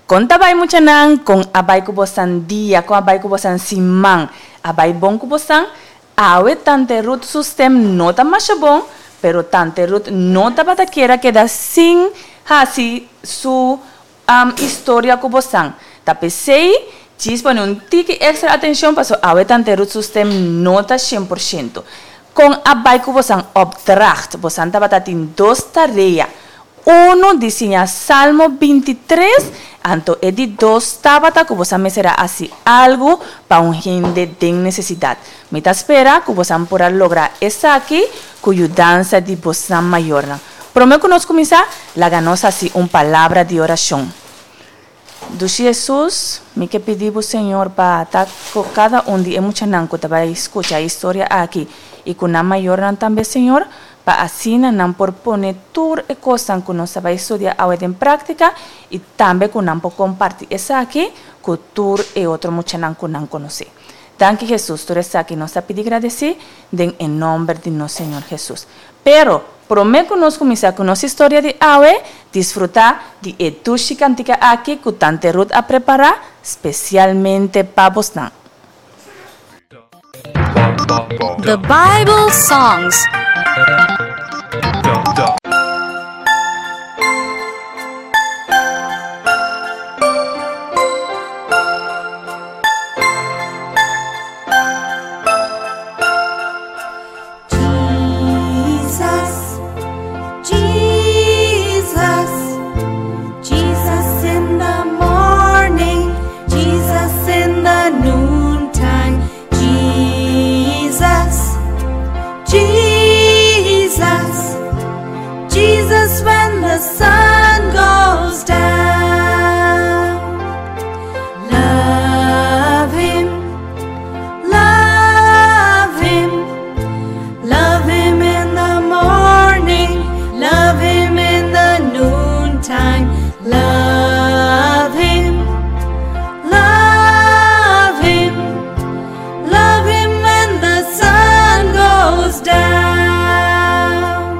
Kon ta bai muchanan? Kon a bai ku bosan dia? Kon a bai ku bosan siman? A bai bon ku bosan? Awe Tante Ruth su stem no ta masha bon, pero Tante Ruth no tabata kier a keda sin hasi su historia ku bosan. Ta p'esei djis pone un tiki extra atencion paso awe Tante Ruth su stem no ta 100%. Kon a bai ku bosan opdracht? Bosan tabata tin dos tarea. Unu di siña Salmo 23, anto e di dos tabata ku bosan mester a hasi algu pa un hende den nesesidat. Mi ta spera ku bosan por a logra esaki ku yudansa di bosan mayornan. Promé ku nos kuminsá, laga nos hasi un palabra di orashon. Dushi Hesus, mi ke pidi bo Señor pa ta ku kada un di e muchanan ku ta bai skucha e historia aki i ku nan mayornan tambe Señor, pa asina nan por pone tur e kosnan ku nos ta bai studia awe den práktika i tambe ku nan por kompartí esaki ku tur e otro muchanan ku nan konosé. Danki Hesus, tur esaki nos ta pidi gradesí den e nòmber di nos Señor Hesus. Pero, promé ku nos kuminsá ku nos historia di awe, disfrutá di e dushi kantika aki ku Tante Ruth a prepará spesialmente pa bosnan. The Bible Songs. Jesus, Jesus, Jesus in the morning, Jesus in the noontime, Jesus, Jesus, Jesus when the sun goes down. Love him, love him. Love him in the morning, love him in the noontime, love him, love him, love him when the sun goes down.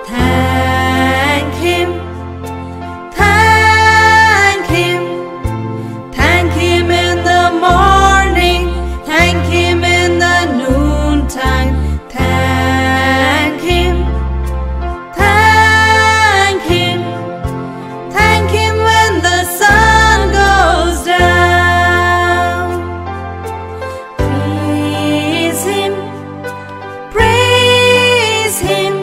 Thank him, thank him. Thank him in the morning, thank him in the noontime, thank him, thank him, thank him when the sun goes down. Praise him, praise him.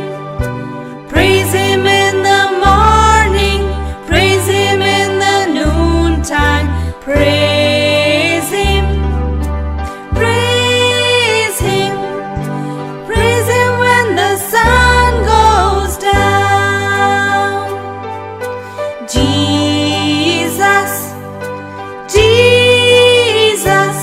Praise him in the morning, praise him in the noontime, praise him, praise him, praise him when the sun goes down. Jesus, Jesus,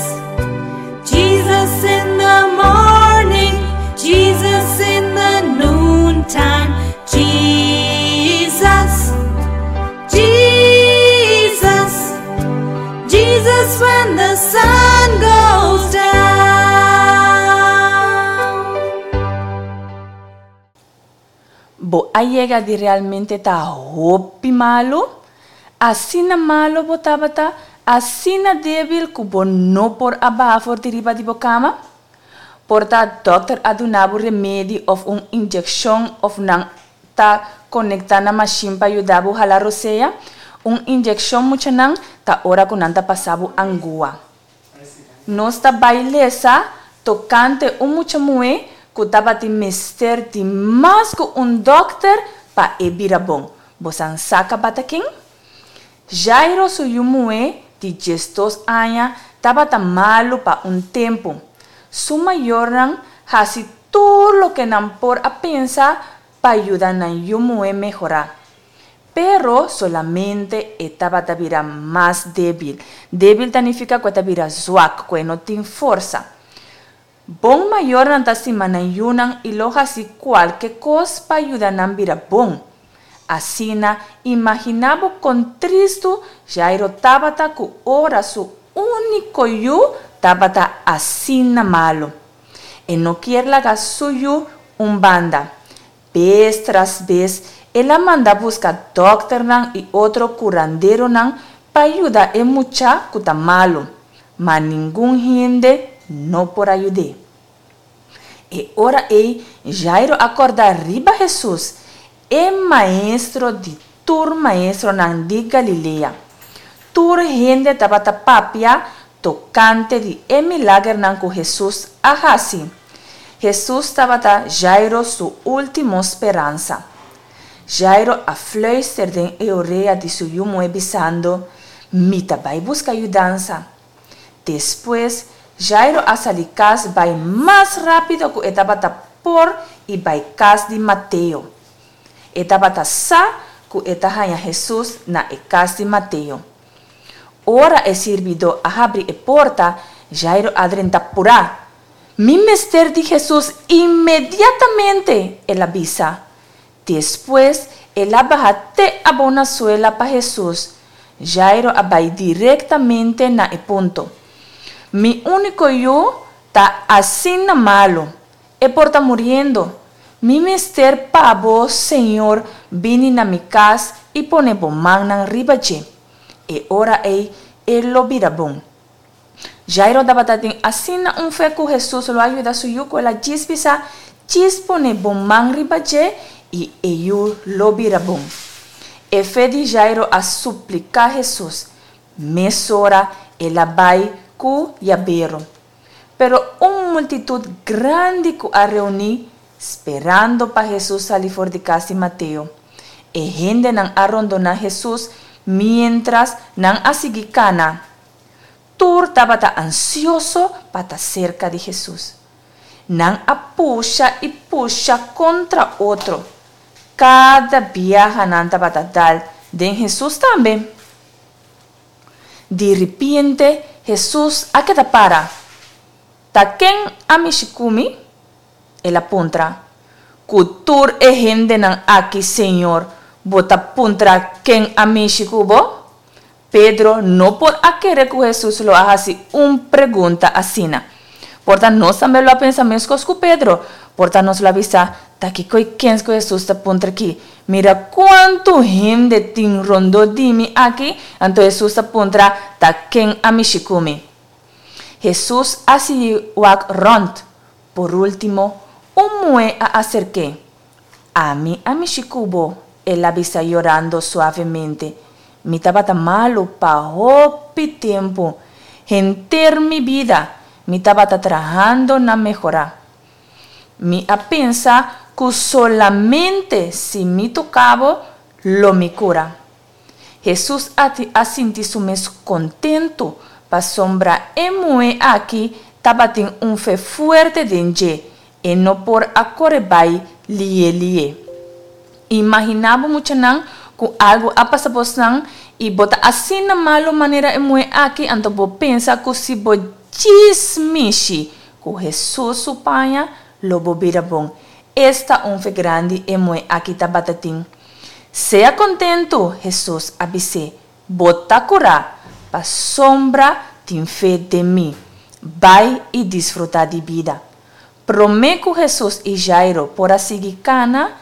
Jesus in the morning, Jesus in the noontime, Jesus, Jesus, Jesus when the sun goes down. Bo a yega di realmente ta hopi malu? Asina malu bo tabata, asina débil ku bo no por a baha for di riba di bo kama? Por ta dòkter a duna bo remedi òf un inyekshon òf nan ta konektá na mashin pa yuda bo hala rosea? Un inyekshon muchanan ta ora ku nan ta pasa bo angua. Nos ta bai lesa tokante un mucha muhé ku tabatin mester di mas ku un dòkter pa e bira bon. Bosan sa kabata ken? Jairo su yu muhé di 12 aña tabata malu pa un tempu. Su mayornan hasi tur loke nan por a pensa pa yuda nan yu muhé mehorá. Pero solamente e tabata bira mas débil. Débil ta nifiká ku e ta bira zwak, ku e no tin forsa. Bon mayornan ta stima nan yunan i lo hasi kualke kos pa yuda nan bira bon. Asina, imaginá bo kon tristu Jairo tabata ku ora su úniko yu tabata asina malu. E no kier laga su yu un banda. Bes tras bes el a manda buska dòkternan i otro kuranderonan, pa yuda e mucha ku ta malu, ma ningun hende no por a yud'é. E ora ei Jairo a kòrda riba Hesus, e Maestro di tur maestronan di Galilea. Tur hende tabata papia tokante di e milagernan ku Hesus a hasi. Hesus tabata Jairo su último speransa. Jairo a fluister den e orea di su yu muhé bisando, Mi ta bai buska yudansa. Despues, Jairo a sali kas bai mas rápido ku e tabata por i bai kas di Mateo. E tabata sa ku e ta haña Hesus na e kas di Mateo. Ora e sirbidó a habri e porta, Jairo a drenta purá. Mi mester di Hesus inmediatamente! el a bisa. Despues el a baha te abou na suela pa Hesus. Jairo a bai direktamente na e punto. Mi úniko yu ta asina malu. E por ta muriendo. Mi mester pa bo, Señor, bini na mi kas i pone bo mannan riba dje. E ora ei e lo bira bon. Jairo tabata tin asina un fe ku Hesus lo a yuda su yu ku el a djis bisa, Djis pone bo man riba dje i e yu lo bira bon. E fe di Jairo a supliká Hesus. Mesora el a bai ku yabero. Pero un multitut grandi ku a reuní, sperando pa Hesus sali for di kas di Mateo. E hendenan a rondoná Hesus miéntras nan a sigui kana. Tur tabata ansioso pa ta serka di Hesus. Nan a pusha i pusha kontra otro. Kada biaha nan tabata dal den Hesus tambe. Di ripiente Hesus a keda para. Ta ken a mishi ku mi? El a puntra. Ku tur e hendenan aki, Señor, bo ta puntra ken a mishi ku bo? Pedro no por a kere ku Hesus lo a hasi un pregunta asina. Por ta nos tambe lo a pensa meskos ku Pedro. Por ta nos lo a bisa, Ta kiko i kens ku Hesus ta puntra aki? Mira kuantu hende tin rondó di mi aki, anto Hesus ta puntra, Ta ken a mishi ku mi? Hesus a sigui wak rònt. Por último, un muhé a aserk'é. Ami a mishi ku bo, el a bisa yorando suavemente. Mi tabata malu pa hopi tempu. Henter mi bida, mi tabata trahando na mehorá. Mi a pensa ku solamente si mi toka bo, lo mi kura. Hesus a a sinti su mes kontentu pasobra e muhé aki tabatin un fe fuerte den dje, e no por a kore bai lié lié. Imaginá bo muchanan ku algu a pasa bosnan i bo ta asina malu manera e muhé aki, anto bo pensa ku si bo djis mishi ku Hesus su paña lo bo bira bon. Esta un fe grandi e muhé aki tabata tin! Sea kontentu, Hesus a bis'é, bo ta kurá, pasobra tin fe den mi. Bai i disfrutá di bida. Promé ku Hesus i Jairo por a sigui kana,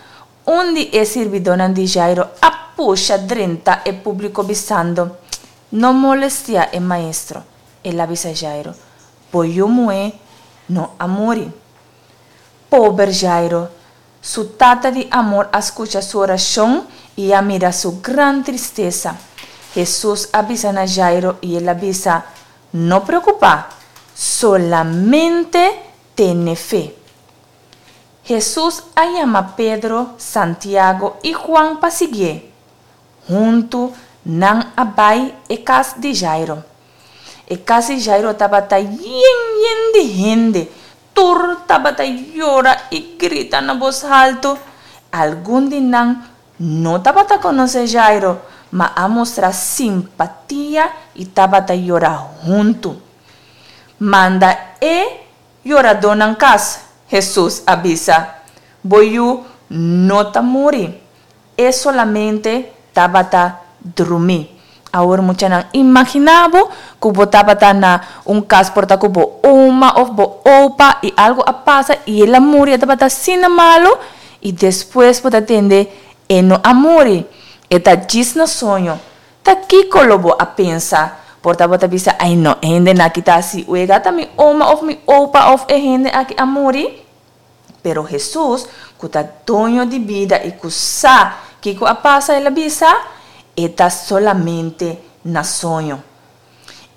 un di e sirbidónan di Jairo a pusha drenta e públiko bisando, No molestiá e maestro. El a bisa Jairo, Bo yu muhé no a muri. Pober Jairo! Su Tata di amor a skucha su orashon i a mira su gran tristesa. Hesus a bisa na Jairo i el a bisa, No preokupá, solamente tene fe. Hesus a yama Pedro, Santiago i Juan pa siguié. Huntu nan a bai e kas di Jairo. E kas di Jairo tabata yen yen di hende. Tur tabata yora i grita na bos haltu. Algun di nan no tabata konosé Jairo, ma a mustra simpatia i tabata yora huntu. Manda e yoradónan kas, Hesus a bisa. Bo yu no ta muri. E solamente tabata drumí. Awor muchanan, imaginá bo ku bo tabata na un kas por ta ku bo oma òf bo opa i algu a pasa i el a muri, e tabata asina malu i despues bo ta tende e no a muri, e ta djis na soño. Ta kiko lo bo a pensa? Por ta bo ta bisa, Ai no, e hendenan aki ta hasi wega, ta mi oma òf mi opa òf e hende aki a muri? Pero Hesus, ku ta doño di bida i ku sa kiko a pasa, el a bisa, E ta solamente na soño.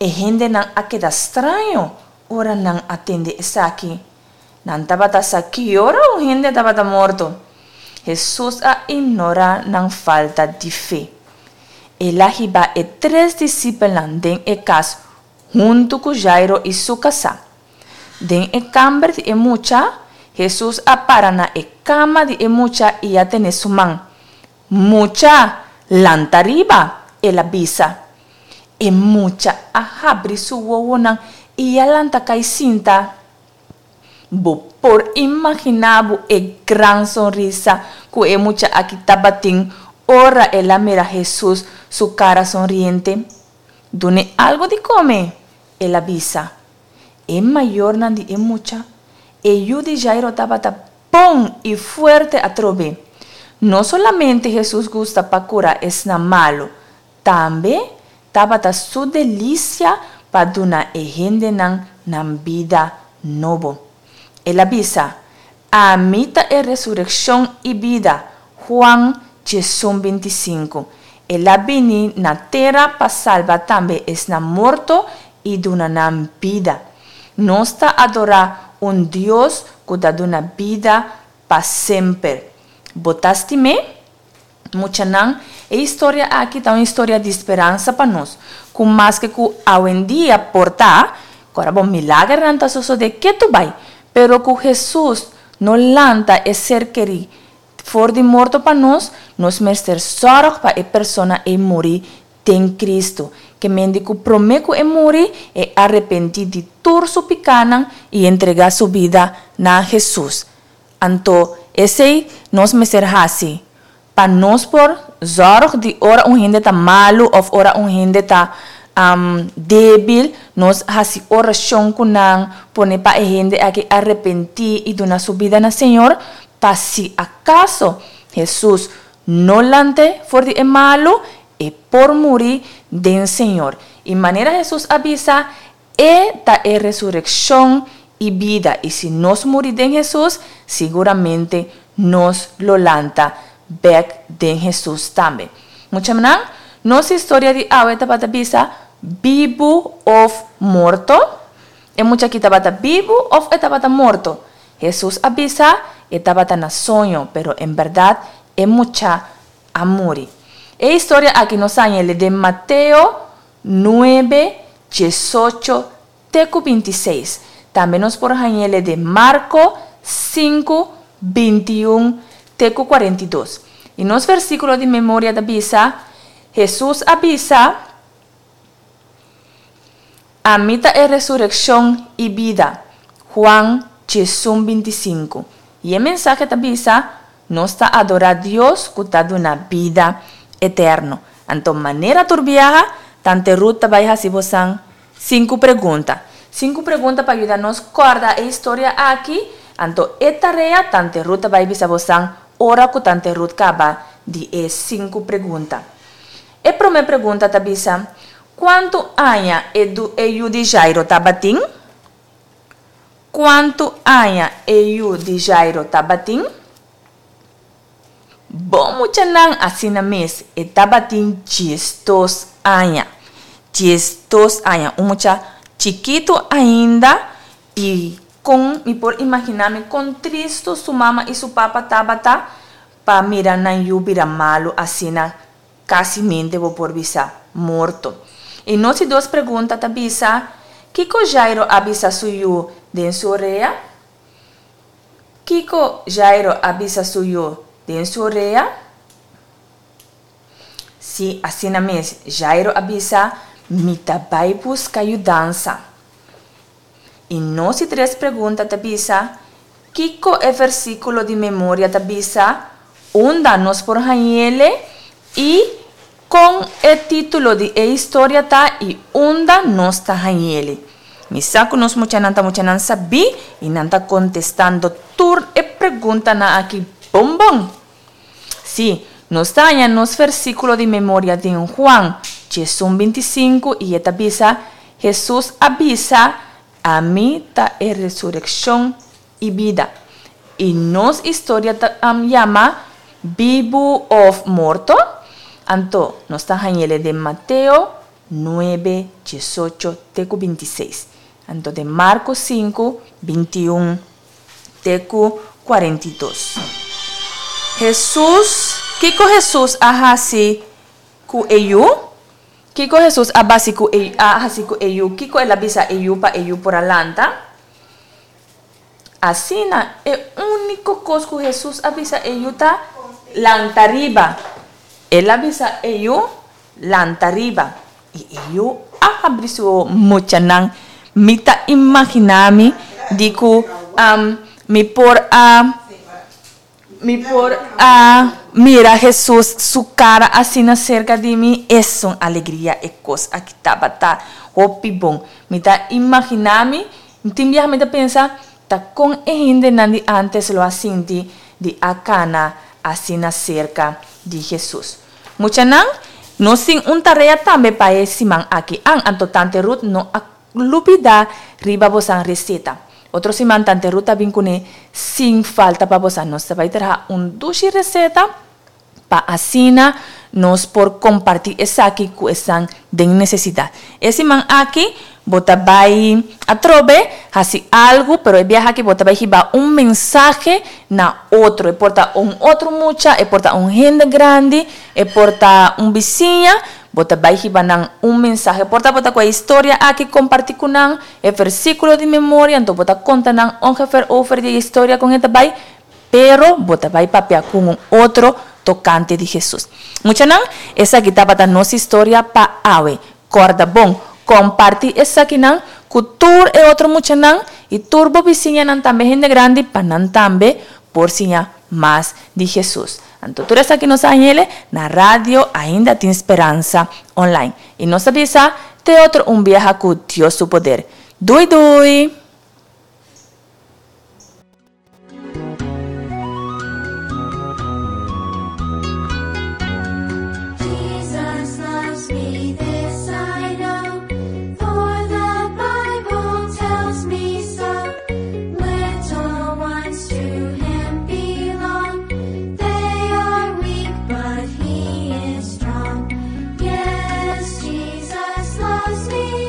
E hendenan a keda straño ora nan a tende esaki. Nan tabata sa ki ora un hende tabata morto. Hesus a ignorá nan falta di fe. El a hiba e tres disipelnan den e kas huntu ku Jairo i su kasá. Den e kamber di e mucha, Hesus a para na e kama di e mucha i a tene su man. Mucha, lanta riba! el a bisa. E mucha a habri su wowonan i a lanta kai sinta. Bo por imaginá bo e gran sonrisa ku e mucha aki tabatin ora el a mira Hesus su kara sonriente? Dun'é algu di kome, el a bisa. E mayornan di e mucha, e yu di Jairo tabata bon i fuerte atrobe. No solamente Hesus gusta pa kura esnan malu, tambe tabata su delisia pa duna e hendenan nan bida nobo. El a bisa, Ami ta e resurekshon i bida, Huan 11:25. El a bini na tera pa salba tambe esnan morto i duna nan bida. Nos ta adorá un Dios ku ta duna bida pa semper. Bo ta stim'é? Muchanan, e historia aki ta un historia di speransa pa nos, ku maske ku awendia por ta, ku ora bo milagernan ta sosodé ketu bai, pero ku Hesus no lanta e ser kerí for di morto pa nos, nos mester sòrg pa e persona ei muri den Cristo, ke mende ku promé ku e muri, e arepentí di tur su pikánan i entregá su bida na Hesus. Anto esei nos mester hasi pa nos por zòrg di ora un hende ta malu òf ora un hende ta débil, nos hasi orashon ku nan, pone pa e hende aki arepentí i duna su bida na Señor, pa si akaso Hesus no lant'é for di e malu, e por muri den Señor. I manera Hesus a bisa, E ta e resurekshon i bida, i si nos muri den Hesus, siguramente nos lo lanta bèk den Hesus tambe. Muchanan, nos historia di awe tabata bisa bibu òf morto? E mucha aki tabata bibu òf e tabata morto? Hesus a bisa e tabata na soño, pero en bèrdat e mucha a muri. E historia aki nos haña el den Mateo nuebe, diesocho te ku bintiseis. Tambe nos por hañ'ele den Marko sinku, bintiun te ku kuarentidos. I nos versíkulo di memoria ta bisa, Hesus a bisa, Ami ta e resurekshon i bida. Huan diesun bintisinku. I e mensahe ta bisa, Nos ta adorá Dios ku ta duna bida eterno. Anto manera tur biaha, Tante Ruth ta bai hasi bosan sinku pregunta. Sinku pregunta pa yuda nos kòrda e historia aki. Anto e tarea Tante Ruth ta bai bisa bosan ora ku Tante Ruth kaba di e sinku pregunta. E promé pregunta ta bisa, Kuantu aña e du e yu di Jairo tabatin? Kuantu aña e yu di Jairo tabatin? Bon muchanan, asina mes, e tabatin diesdos aña. Diesdos aña, un mucha chikitu ainda i kon mi por imaginá mi kon tristu su mama i su papa tabata pa mira nan yu bira malu asina, kasimente bo por bisa morto. I nos di dos pregunta ta bisa, Kiko Jairo a bisa su yu den su orea? Kiko Jairo a bisa su yu den su orea? Sí, asina mes, Jairo a bisa, Mi ta bai buska yudansa. I nos di tres pregunta ta bisa, Kiko e versíkulo di memoria ta bisa? Unda nos por hañ'ele? I kon e título di e historia ta i unda nos ta hañ'ele? Mi sa ku nos muchanan ta muchanan sabí i nan ta kontestando tur e preguntanan aki bon bon. Sí, nos ta haña nos versíkulo di memoria den Juan. 11 25 i e ta bisa, Hesus a bisa, Ami ta e resurekshon i bida. I nos historia ta yama Bibu òf Morto? Anto, nos ta hañ'el den Mateo nuebe, diesocho te ku bintiseis. Anto den Marko sinku, bintiun te ku kuarentidos. Hesus, Kiko Hesus a hasi ku e yu? Kiko Hesus a basi ku e a hasi ku e yu? Kiko el a bisa e yu pa e yu por a lanta? Asina, e úniko kos ku Hesus a bisa e yu ta, Lanta riba. El a bisa e yu, Lanta riba. I e yu a habri su oho. Muchanan, mi ta imaginá mi di ku mi por a Mi por a mira Hesus su cara asina cerca di mi, esun alegria e cos aki tabata hopi bon. Mi ta imagina mi, tin biaha mi ta pensa, ta con e hendenan di antes lo a sinti di a cana asina cerca di Hesus. Muchanan, nos tin un tarea tambe pa e siman aki. An, anto tante Ruth no a Lubida riba bosan receta. Otro siman tante Ruth ta bin cune sin falta pa bosan. Nos ta bay traha un dushi receta pa asina nos por comparti esaki cu esnan den necesidad. E siman aki bo ta bay atrobe haci algo pero e biaha aki bo ta bay hiba un mensahe na otro. E por ta un otro mucha, e por ta un hende grandi, e por ta un bisiña. Bo ta bai hiba nan un mensahe. Por ta bo ta ku e historia aki kompartí ku nan, e versíkulo di memoria, anto bo ta konta nan ongeveer over di e historia kon e ta bai, pero bo ta bai papia ku un otro tokante di Hesus. Muchanan, esaki tabata nos historia pa awe. Kòrda bon, kompartí esakinan ku tur e otro muchanan i tur bo bisiñanan tambe hende grandi pa nan tambe por siña mas di Hesus. Anto tur esaki nos a hañ'ele na radio Ainda Tin Speransa online. I nos ta bisa te otro un biaha ku Dios su poder. Dui dui! Jesus loves me, this I know, for the Bible tells me so. Little ones to him belong. They are weak, but he is strong. Yes, Jesus loves me.